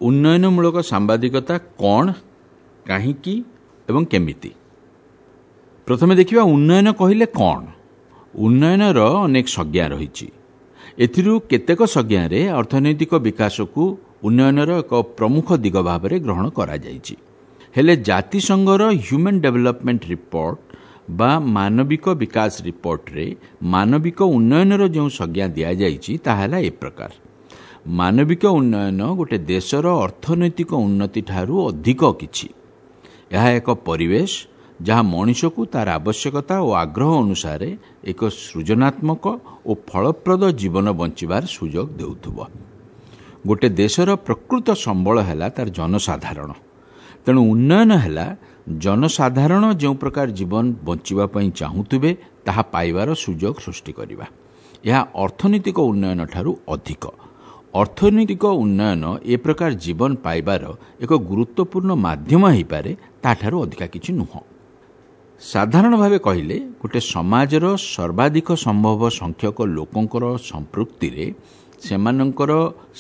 ଉନ୍ନୟନମୂଳକ ସାମ୍ବାଦିକତା କ'ଣ, କାହିଁକି ଏବଂ କେମିତି। ପ୍ରଥମେ ଦେଖିବା ଉନ୍ନୟନ କହିଲେ କ'ଣ। ଉନ୍ନୟନର ଅନେକ ସଂଜ୍ଞା ରହିଛି। ଏଥିରୁ କେତେକ ସଂଜ୍ଞାରେ ଅର୍ଥନୈତିକ ବିକାଶକୁ ଉନ୍ନୟନର ଏକ ପ୍ରମୁଖ ଦିଗ ଭାବରେ ଗ୍ରହଣ କରାଯାଇଛି। ହେଲେ ଜାତିସଂଘର ହ୍ୟୁମାନ୍ ଡେଭଲପମେଣ୍ଟ ରିପୋର୍ଟ ବା ମାନବିକ ବିକାଶ ରିପୋର୍ଟରେ ମାନବିକ ଉନ୍ନୟନର ଯେଉଁ ସଂଜ୍ଞା ଦିଆଯାଇଛି, ତାହା ହେଲା ଏ ପ୍ରକାର: ମାନବିକ ଉନ୍ନୟନ ଗୋଟେ ଦେଶର ଅର୍ଥନୈତିକ ଉନ୍ନତିଠାରୁ ଅଧିକ କିଛି। ଏହା ଏକ ପରିବେଶ, ଯାହା ମଣିଷକୁ ତାର ଆବଶ୍ୟକତା ଓ ଆଗ୍ରହ ଅନୁସାରେ ଏକ ସୃଜନାତ୍ମକ ଓ ଫଳପ୍ରଦ ଜୀବନ ବଞ୍ଚିବାର ସୁଯୋଗ ଦେଉଥିବ। ଗୋଟେ ଦେଶର ପ୍ରକୃତ ସମ୍ବଳ ହେଲା ତାର ଜନସାଧାରଣ। ତେଣୁ ଉନ୍ନୟନ ହେଲା ଜନସାଧାରଣ ଯେଉଁ ପ୍ରକାର ଜୀବନ ବଞ୍ଚିବା ପାଇଁ ଚାହୁଁଥିବେ, ତାହା ପାଇବାର ସୁଯୋଗ ସୃଷ୍ଟି କରିବା। ଏହା ଅର୍ଥନୈତିକ ଉନ୍ନୟନ ଠାରୁ ଅଧିକ। ଅର୍ଥନୈତିକ ଉନ୍ନୟନ ଏ ପ୍ରକାର ଜୀବନ ପାଇବାର ଏକ ଗୁରୁତ୍ୱପୂର୍ଣ୍ଣ ମାଧ୍ୟମ ହୋଇପାରେ, ତାଠାରୁ ଅଧିକା କିଛି ନୁହଁ। ସାଧାରଣ ଭାବେ କହିଲେ, ଗୋଟେ ସମାଜର ସର୍ବାଧିକ ସମ୍ଭବ ସଂଖ୍ୟକ ଲୋକଙ୍କର ସମ୍ପୃକ୍ତିରେ ସେମାନଙ୍କର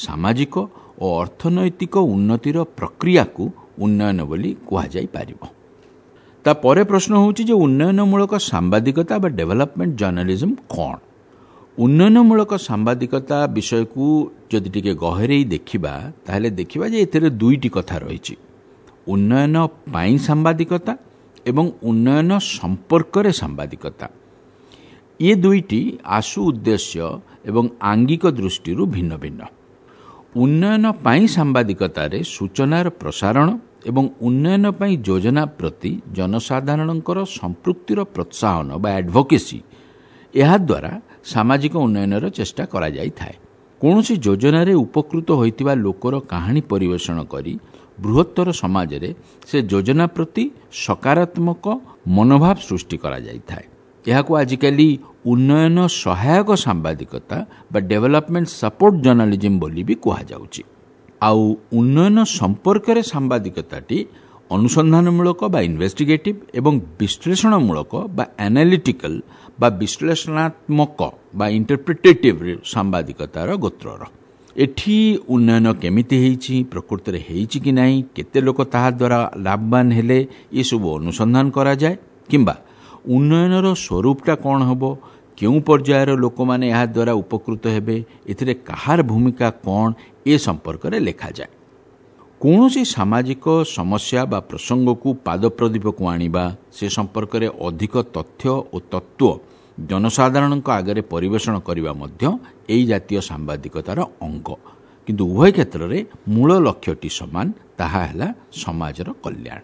ସାମାଜିକ ଓ ଅର୍ଥନୈତିକ ଉନ୍ନତିର ପ୍ରକ୍ରିୟାକୁ ଉନ୍ନୟନ ବୋଲି କୁହାଯାଇପାରିବ। ତାପରେ ପ୍ରଶ୍ନ ହେଉଛି ଯେ ଉନ୍ନୟନମୂଳକ ସାମ୍ବାଦିକତା ବା ଡେଭଲପମେଣ୍ଟ ଜର୍ଣ୍ଣାଲିଜମ୍ କ'ଣ? ଉନ୍ନୟନମୂଳକ ସାମ୍ବାଦିକତା ବିଷୟକୁ ଯଦି ଟିକେ ଗହରେଇ ଦେଖିବା, ତାହେଲେ ଦେଖିବା ଯେ ଏଥିରେ ଦୁଇଟି କଥା ରହିଛି: ଉନ୍ନୟନ ପାଇଁ ସାମ୍ବାଦିକତା ଏବଂ ଉନ୍ନୟନ ସମ୍ପର୍କରେ ସାମ୍ବାଦିକତା। ଏ ଦୁଇଟି ଆଶୁ ଉଦ୍ଦେଶ୍ୟ ଏବଂ ଆଙ୍ଗିକ ଦୃଷ୍ଟିରୁ ଭିନ୍ନ ଭିନ୍ନ। ଉନ୍ନୟନ ପାଇଁ ସାମ୍ବାଦିକତାରେ ସୂଚନାର ପ୍ରସାରଣ ଏବଂ ଉନ୍ନୟନ ପାଇଁ ଯୋଜନା ପ୍ରତି ଜନସାଧାରଣଙ୍କର ସମ୍ପୃକ୍ତିର ପ୍ରୋତ୍ସାହନ ବା ଆଡଭୋକେସି, ଏହାଦ୍ୱାରା ସାମାଜିକ ଉନ୍ନୟନର ଚେଷ୍ଟା କରାଯାଇଥାଏ। କୌଣସି ଯୋଜନାରେ ଉପକୃତ ହୋଇଥିବା ଲୋକର କାହାଣୀ ପରିବେଷଣ କରି ବୃହତ୍ତର ସମାଜରେ ସେ ଯୋଜନା ପ୍ରତି ସକାରାତ୍ମକ ମନୋଭାବ ସୃଷ୍ଟି କରାଯାଇଥାଏ। ଏହାକୁ ଆଜିକାଲି ଉନ୍ନୟନ ସହାୟକ ସାମ୍ବାଦିକତା ବା ଡେଭଲପମେଣ୍ଟ ସପୋର୍ଟ ଜର୍ଣ୍ଣାଲିଜିମ୍ ବୋଲି ବି କୁହାଯାଉଛି। ଆଉ ଉନ୍ନୟନ ସମ୍ପର୍କରେ ସାମ୍ବାଦିକତାଟି ଅନୁସନ୍ଧାନମୂଳକ ବା ଇନଭେଷ୍ଟିଗେଟିଭ୍ ଏବଂ ବିଶ୍ଳେଷଣମୂଳକ ବା ଆନାଲିଟିକାଲ ବା ବିଶ୍ଳେଷଣାତ୍ମକ ବା ଇଣ୍ଟରପ୍ରିଟେଟିଭ୍ ସାମ୍ବାଦିକତାର ଗୋତ୍ରର। ଏଠି ଉନ୍ନୟନ କେମିତି ହେଇଛି, ପ୍ରକୃତରେ ହେଇଛି କି ନାହିଁ, କେତେ ଲୋକ ତାହା ଦ୍ୱାରା ଲାଭବାନ ହେଲେ, ଏସବୁ ଅନୁସନ୍ଧାନ କରାଯାଏ, କିମ୍ବା ଉନ୍ନୟନର ସ୍ୱରୂପଟା କ'ଣ ହେବ, କେଉଁ ପର୍ଯ୍ୟାୟର ଲୋକମାନେ ଏହାଦ୍ୱାରା ଉପକୃତ ହେବେ, ଏଥିରେ କାହାର ଭୂମିକା କ'ଣ, ଏ ସମ୍ପର୍କରେ ଲେଖାଯାଏ। କୌଣସି ସାମାଜିକ ସମସ୍ୟା ବା ପ୍ରସଙ୍ଗକୁ ପାଦପ୍ରଦୀପକୁ ଆଣିବା, ସେ ସମ୍ପର୍କରେ ଅଧିକ ତଥ୍ୟ ଓ ତତ୍ତ୍ୱ ଜନସାଧାରଣଙ୍କ ଆଗରେ ପରିବେଷଣ କରିବା ମଧ୍ୟ ଏହି ଜାତୀୟ ସାମ୍ବାଦିକତାର ଅଙ୍ଗ। କିନ୍ତୁ ଉଭୟ କ୍ଷେତ୍ରରେ ମୂଳ ଲକ୍ଷ୍ୟଟି ସମାନ, ତାହା ହେଲା ସମାଜର କଲ୍ୟାଣ।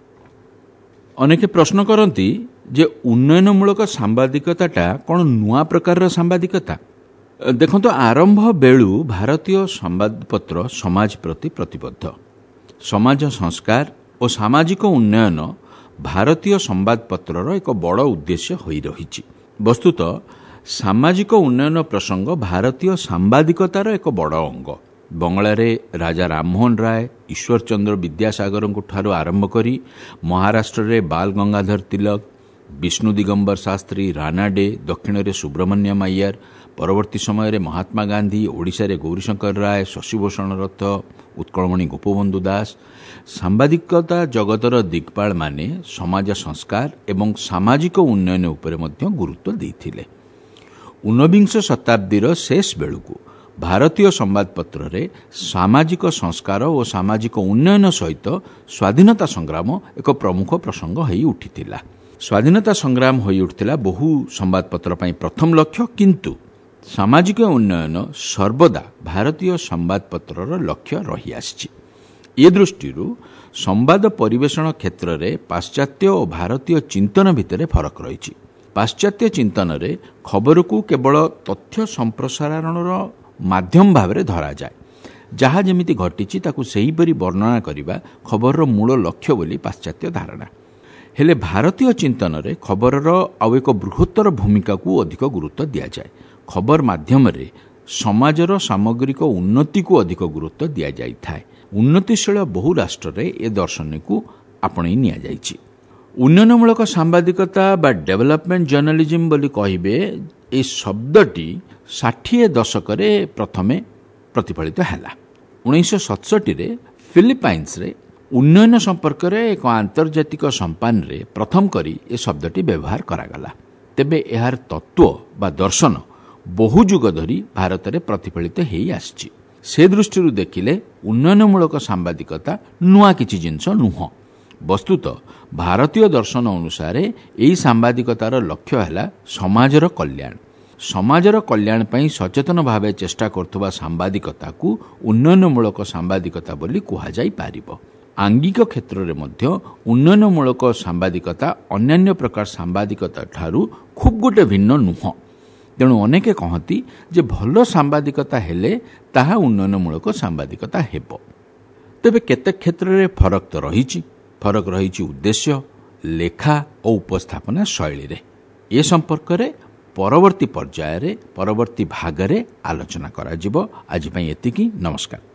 ଅନେକ ପ୍ରଶ୍ନ କରନ୍ତି ଯେ ଉନ୍ନୟନମୂଳକ ସାମ୍ବାଦିକତାଟା କ'ଣ ନୂଆ ପ୍ରକାରର ସାମ୍ବାଦିକତା? ଦେଖନ୍ତୁ, ଆରମ୍ଭ ବେଳୁ ଭାରତୀୟ ସମ୍ବାଦପତ୍ର ସମାଜ ପ୍ରତି ପ୍ରତିବଦ୍ଧ। ସମାଜ ସଂସ୍କାର ଓ ସାମାଜିକ ଉନ୍ନୟନ ଭାରତୀୟ ସମ୍ବାଦପତ୍ରର ଏକ ବଡ଼ ଉଦ୍ଦେଶ୍ୟ ହୋଇ ରହିଛି। ବସ୍ତୁତଃ ସାମାଜିକ ଉନ୍ନୟନ ପ୍ରସଙ୍ଗ ଭାରତୀୟ ସାମ୍ବାଦିକତାର ଏକ ବଡ଼ ଅଙ୍ଗ। ବଙ୍ଗଳାରେ ରାଜା ରାମମୋହନ ରାୟ, ଈଶ୍ୱରଚନ୍ଦ୍ର ବିଦ୍ୟାସାଗରଙ୍କ ଠାରୁ ଆରମ୍ଭ କରି ମହାରାଷ୍ଟ୍ରରେ ବାଲ ଗଙ୍ଗାଧର ତିଲକ, ବିଷ୍ଣୁ ଦିଗମ୍ବର ଶାସ୍ତ୍ରୀ, ରାନାଡେ, ଦକ୍ଷିଣରେ ସୁବ୍ରମଣ୍ୟମ ଆୟାର, ପରବର୍ତ୍ତୀ ସମୟରେ ମହାତ୍ମା ଗାନ୍ଧୀ, ଓଡ଼ିଶାରେ ଗୌରୀଶଙ୍କର ରାୟ, ଶଶିଭୂଷଣ ରଥ, ଉତ୍କଳମଣି ଗୋପବନ୍ଧୁ ଦାସ, ସାମ୍ବାଦିକତା ଜଗତର ଦିଗ୍ପାଳମାନେ ସମାଜ ସଂସ୍କାର ଏବଂ ସାମାଜିକ ଉନ୍ନୟନ ଉପରେ ମଧ୍ୟ ଗୁରୁତ୍ୱ ଦେଇଥିଲେ। ଊନବିଂଶ ଶତାବ୍ଦୀର ଶେଷ ବେଳକୁ ଭାରତୀୟ ସମ୍ବାଦପତ୍ରରେ ସାମାଜିକ ସଂସ୍କାର ଓ ସାମାଜିକ ଉନ୍ନୟନ ସହିତ ସ୍ୱାଧୀନତା ସଂଗ୍ରାମ ଏକ ପ୍ରମୁଖ ପ୍ରସଙ୍ଗ ହୋଇ ଉଠିଥିଲା। ସ୍ୱାଧୀନତା ସଂଗ୍ରାମ ହୋଇ ଉଠିଥିଲା ବହୁ ସମ୍ବାଦପତ୍ର ପାଇଁ ପ୍ରଥମ ଲକ୍ଷ୍ୟ, କିନ୍ତୁ ସାମାଜିକ ଉନ୍ନୟନ ସର୍ବଦା ଭାରତୀୟ ସମ୍ବାଦପତ୍ରର ଲକ୍ଷ୍ୟ ରହିଆସିଛି। ଏ ଦୃଷ୍ଟିରୁ ସମ୍ବାଦ ପରିବେଷଣ କ୍ଷେତ୍ରରେ ପାଶ୍ଚାତ୍ୟ ଓ ଭାରତୀୟ ଚିନ୍ତନ ଭିତରେ ଫରକ ରହିଛି। ପାଶ୍ଚାତ୍ୟ ଚିନ୍ତନରେ ଖବରକୁ କେବଳ ତଥ୍ୟ ସମ୍ପ୍ରସାରଣର ମାଧ୍ୟମ ଭାବରେ ଧରାଯାଏ। ଯାହା ଯେମିତି ଘଟିଛି, ତାକୁ ସେହିପରି ବର୍ଣ୍ଣନା କରିବା ଖବରର ମୂଳ ଲକ୍ଷ୍ୟ ବୋଲି ପାଶ୍ଚାତ୍ୟ ଧାରଣା। ହେଲେ ଭାରତୀୟ ଚିନ୍ତନରେ ଖବରର ଆଉ ଏକ ବୃହତ୍ତର ଭୂମିକାକୁ ଅଧିକ ଗୁରୁତ୍ୱ ଦିଆଯାଏ। ଖବର ମାଧ୍ୟମରେ ସମାଜର ସାମଗ୍ରିକ ଉନ୍ନତିକୁ ଅଧିକ ଗୁରୁତ୍ୱ ଦିଆଯାଇଥାଏ। ଉନ୍ନତିଶୀଳ ବହୁ ରାଷ୍ଟ୍ରରେ ଏ ଦର୍ଶନକୁ ଆପଣେଇ ନିଆଯାଇଛି। ଉନ୍ନୟନମୂଳକ ସାମ୍ବାଦିକତା ବା ଡେଭଲପମେଣ୍ଟ ଜର୍ଣ୍ଣାଲିଜିମ୍ ବୋଲି କହିବେ, ଏ ଶବ୍ଦଟି 60 ଦଶକରେ ପ୍ରଥମେ ପ୍ରତିଫଳିତ ହେଲା। 1967ରେ ଫିଲିପାଇନ୍ସରେ ଉନ୍ନୟନ ସମ୍ପର୍କରେ ଏକ ଆନ୍ତର୍ଜାତିକ ସମ୍ପାନରେ ପ୍ରଥମ କରି ଏ ଶବ୍ଦଟି ବ୍ୟବହାର କରାଗଲା। ତେବେ ଏହାର ତତ୍ତ୍ୱ ବା ଦର୍ଶନ ବହୁ ଯୁଗ ଧରି ଭାରତରେ ପ୍ରତିଫଳିତ ହେଇ ଆସିଛି। ସେ ଦୃଷ୍ଟିରୁ ଦେଖିଲେ ଉନ୍ନୟନମୂଳକ ସାମ୍ବାଦିକତା ନୂଆ କିଛି ଜିନିଷ ନୁହଁ। ବସ୍ତୁତଃ ଭାରତୀୟ ଦର୍ଶନ ଅନୁସାରେ ଏହି ସାମ୍ବାଦିକତାର ଲକ୍ଷ୍ୟ ହେଲା ସମାଜର କଲ୍ୟାଣ। ସମାଜର କଲ୍ୟାଣ ପାଇଁ ସଚେତନ ଭାବେ ଚେଷ୍ଟା କରୁଥିବା ସାମ୍ବାଦିକତାକୁ ଉନ୍ନୟନମୂଳକ ସାମ୍ବାଦିକତା ବୋଲି କୁହାଯାଇପାରିବ। ଆଙ୍ଗିକ କ୍ଷେତ୍ରରେ ମଧ୍ୟ ଉନ୍ନୟନମୂଳକ ସାମ୍ବାଦିକତା ଅନ୍ୟାନ୍ୟ ପ୍ରକାର ସାମ୍ବାଦିକତା ଠାରୁ ଖୁବ୍ ଗୋଟେ ଭିନ୍ନ ନୁହଁ। ତେଣୁ ଅନେକେ କହନ୍ତି ଯେ ଭଲ ସାମ୍ବାଦିକତା ହେଲେ ତାହା ଉନ୍ନୟନମୂଳକ ସାମ୍ବାଦିକତା ହେବ। ତେବେ କେତେ କ୍ଷେତ୍ରରେ ଫରକ ତ ରହିଛି। ଫରକ ରହିଛି ଉଦ୍ଦେଶ୍ୟ, ଲେଖା ଓ ଉପସ୍ଥାପନା ଶୈଳୀରେ। ଏ ସମ୍ପର୍କରେ ପରବର୍ତ୍ତୀ ପର୍ଯ୍ୟାୟରେ, ପରବର୍ତ୍ତୀ ଭାଗରେ ଆଲୋଚନା କରାଯିବ। ଆଜି ପାଇଁ ଏତିକି। ନମସ୍କାର।